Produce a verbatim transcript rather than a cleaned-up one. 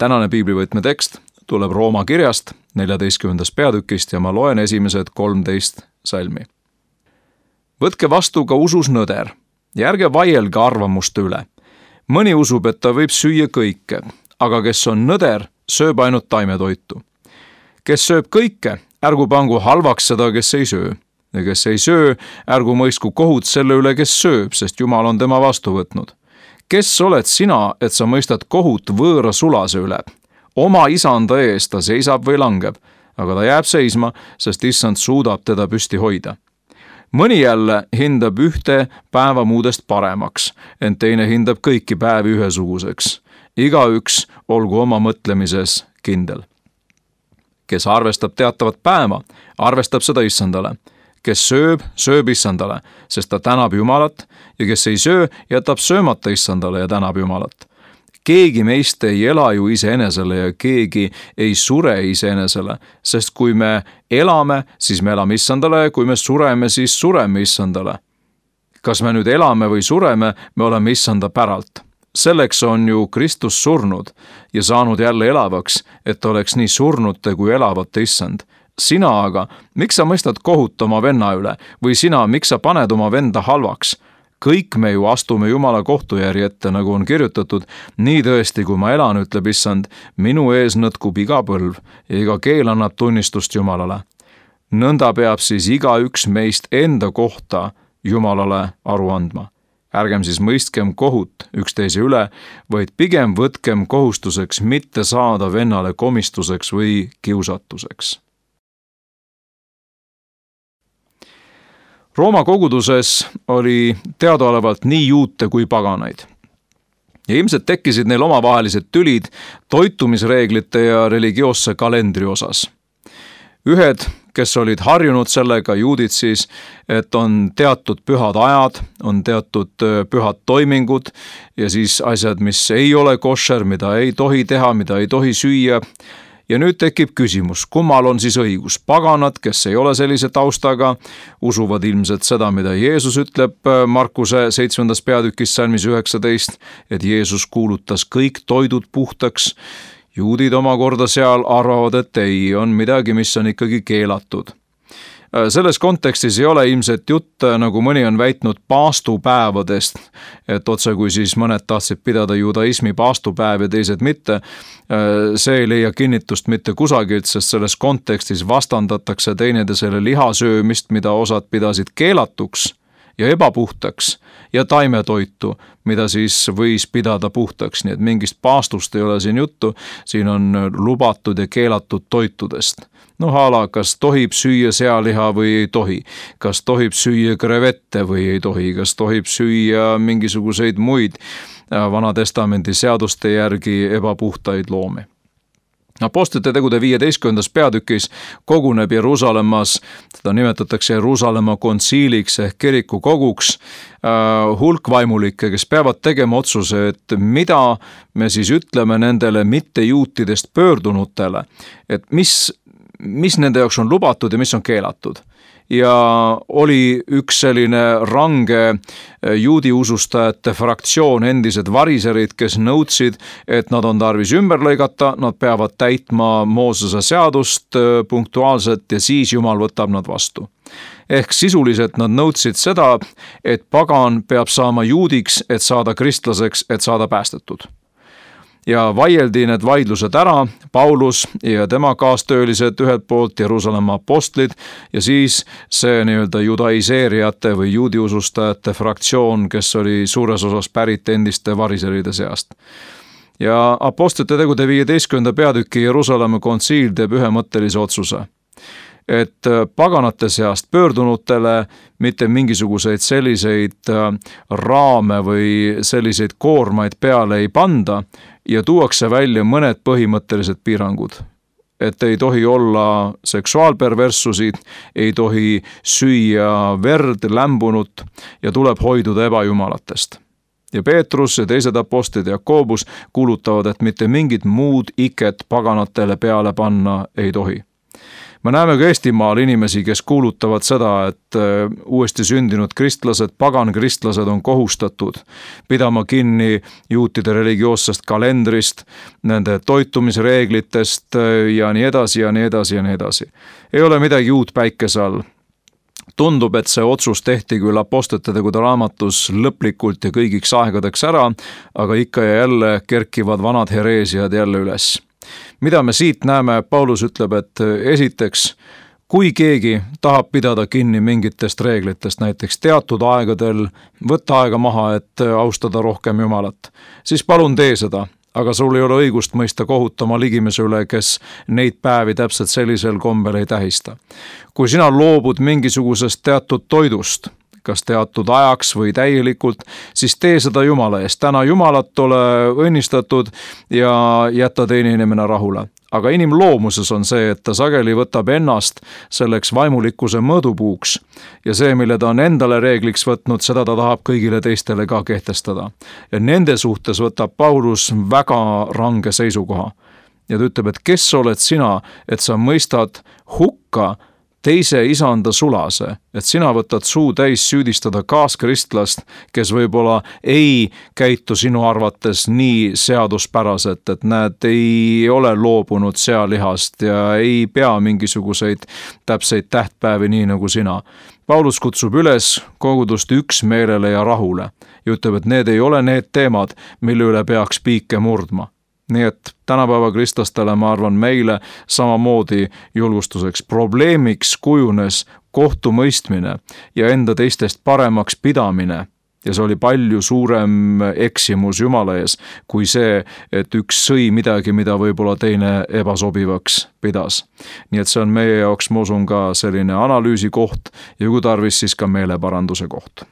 Tänane piiblivõtme tekst tuleb Rooma kirjast neljateistkümnendast peatükist ja ma loen esimesed kolmteist salmi. Võtke vastu ka usus nõder ja ärge vaielge arvamuste üle. Mõni usub, et ta võib süüa kõike, aga kes on nõder, sööb ainult taimetoitu. Kes sööb kõike, ärgu pangu halvaks seda, kes ei söö. Ja kes ei söö, ärgu mõistku kohut selle üle, kes sööb, sest Jumal on tema vastu võtnud. Kes oled sina, et sa mõistad kohut võõra sulase üle? Oma isanda ees ta seisab või langeb, aga ta jääb seisma, sest issand suudab teda püsti hoida. Mõni jälle hindab ühte päeva muudest paremaks, ent teine hindab kõiki päevi ühesuguseks. Igaüks olgu oma mõtlemises kindel. Kes arvestab teatavat päeva, arvestab seda issandale. Kes sööb, sööb issandale, sest ta tänab Jumalat, ja kes ei söö, jätab söömata issandale ja tänab Jumalat. Keegi meist ei ela ju iseenesele ja keegi ei sure iseenesele, sest kui me elame, siis me elame issandale ja kui me sureme, siis sureme issandale. Kas me nüüd elame või sureme, me oleme issanda päralt. Selleks on ju Kristus surnud ja saanud jälle elavaks, et oleks nii surnute kui elavate issand. Sina aga, miks sa mõistad kohut oma venna üle või sina, miks sa paned oma venda halvaks? Kõik me ju astume Jumala kohtujärje ette, nagu on kirjutatud, nii tõesti, kui ma elan, ütleb issand, minu ees nõtkub iga põlv ja iga keel annab tunnistust Jumalale. Nõnda peab siis igaüks meist enda kohta Jumalale aru andma. Ärgem siis mõistkem kohut üksteise üle, vaid pigem võtkem kohustuseks mitte saada vennale komistuseks või kiusatuseks. Rooma koguduses oli teadaolevalt nii juute kui paganaid. Ja ilmselt tekkisid neil omavahelised tülid toitumisreeglite ja religioosse kalendri osas. Ühed, kes olid harjunud sellega, juudid siis, et on teatud pühad ajad, on teatud pühad toimingud ja siis asjad, mis ei ole košer, mida ei tohi teha, mida ei tohi süüa. Ja nüüd tekib küsimus, kummal on siis õigus? Paganad, kes ei ole sellise taustaga, usuvad ilmselt seda, mida Jeesus ütleb Markuse seitsmendas peatükis salmis üheksateist, et Jeesus kuulutas kõik toidud puhtaks. Juudid omakorda seal arvavad, et ei, on midagi, mis on ikkagi keelatud. Selles kontekstis ei ole ilmselt jutt, nagu mõni on väitnud, paastupäevadest, et otse kui siis mõned tahtsid pidada judaismi paastupäev ja teised mitte. See ei leia kinnitust mitte kusagilt, sest selles kontekstis vastandatakse teineteisele lihasöömist, mida osad pidasid keelatuks ja ebapuhtaks ja taimetoitu, mida siis võis pidada puhtaks, nii et mingist paastust ei ole siin juttu, siin on lubatud ja keelatud toitudest. No hala, kas tohib süüa sealiha või ei tohi, kas tohib süüa krevette või ei tohi, kas tohib süüa mingisuguseid muid Vana Testamendi seaduste järgi ebapuhtaid loomi. Apostlite tegude viieteistkümnendas peatükis koguneb Jeruusalemmas, teda nimetatakse Jeruusalemma kontsiiliks ehk kiriku koguks, hulk vaimulikke, kes peavad tegema otsuse, et mida me siis ütleme nendele mittejuutidest pöördunutele, et mis mis nende jaoks on lubatud ja mis on keelatud. Ja oli üks selline range juudi usustajate fraktsioon, endised variserid, kes nõudsid, et nad on tarvis ümber lõigata, nad peavad täitma Moosese seadust punktuaalselt ja siis Jumal võtab nad vastu. Ehk sisuliselt nad nõudsid seda, et pagan peab saama juudiks, et saada kristlaseks, et saada päästetud. Ja vaieldi need vaidlused ära, Paulus ja tema kaastöölised ühelt poolt, Jeruusalemma apostlid ja siis see nii-öelda judaiseerijate või juudiusustajate fraktsioon, kes oli suures osas pärit endiste variseride seast. Ja apostlite tegude viieteistkümnenda peatüki Jeruusalemma kontsiil teeb ühemõttelise otsuse, et paganate seast pöördunutele mitte mingisuguseid selliseid raame või selliseid koormaid peale ei panda ja tuuakse välja mõned põhimõttelised piirangud. Et ei tohi olla seksuaalperverssusid, ei tohi süüa verd, lämbunut ja tuleb hoiduda ebajumalatest. Ja Peetrus ja teised apostlid Jakobus kuulutavad, et mitte mingit muud iket paganatele peale panna ei tohi. me näeme ka Eestimaal inimesi, kes kuulutavad seda, et uuesti sündinud kristlased, pagankristlased on kohustatud pidama kinni juutide religioossest kalendrist, nende toitumisreeglitest ja nii edasi ja nii edasi ja nii edasi. Ei ole midagi uut päikese all. Tundub, et see otsus tehti küll Apostlite tegude raamatus lõplikult ja kõigiks aegadeks ära, aga ikka ja jälle kerkivad vanad hereesiad jälle üles. Mida me siit näeme, Paulus ütleb, et esiteks, kui keegi tahab pidada kinni mingitest reeglitest, näiteks teatud aegadel võtta aega maha, et austada rohkem Jumalat, siis palun tee seda. Aga sul ei ole õigust mõista kohut oma ligimese üle, kes neid päevi täpselt sellisel kombel ei tähista. Kui sina loobud mingisugusest teatud toidust, kas teatud ajaks või täielikult, siis tee seda Jumala eest. Täna Jumalat ole õnnistatud ja jätta teine inimene rahule. Aga inimloomuses on see, et ta sageli võtab ennast selleks vaimulikkuse mõõdupuuks ja see, mille ta on endale reegliks võtnud, seda ta tahab kõigile teistele ka kehtestada. Ja nende suhtes võtab Paulus väga range seisukoha. Ja ta ütleb, et kes oled sina, et sa mõistad hukka teise isanda sulase, et sina võtad suu täis süüdistada kaaskristlast, kes võib-olla ei käitu sinu arvates nii seaduspäraselt, et nad ei ole loobunud sealihast ja ei pea mingisuguseid täpseid tähtpäevi nii nagu sina. Paulus kutsub üles kogudust üksmeelele ja rahule ja ütleb, et need ei ole need teemad, mille üle peaks piike murdma. Nii et tänapäeva kristlastele, ma arvan, meile samamoodi julgustuseks probleemiks kujunes kohtumõistmine ja enda teistest paremaks pidamine. Ja see oli palju suurem eksimus Jumala ees, kui see, et üks sõi midagi, mida võib-olla teine ebasobivaks pidas. Nii et see on meie jaoks, ma usun, ka selline analüüsi koht ja kui tarvis, siis ka meeleparanduse koht.